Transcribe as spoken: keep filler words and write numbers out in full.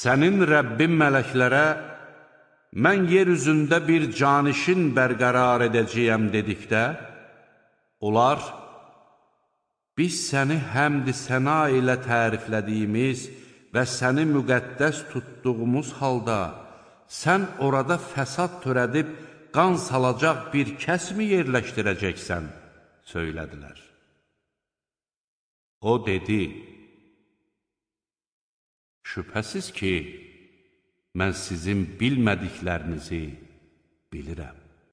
Sənin Rəbbin mələklərə, mən yer üzündə bir canişin bərqərar edəcəyəm dedikdə, onlar, biz səni həmd-i səna ilə təriflədiyimiz və səni müqəddəs tutduğumuz halda, sən orada fəsad törədib, qan salacaq bir kəsmi yerləşdirəcəksən, söylədilər. O dedi, şübhəsiz ki, mən sizin bilmədiklərinizi bilirəm.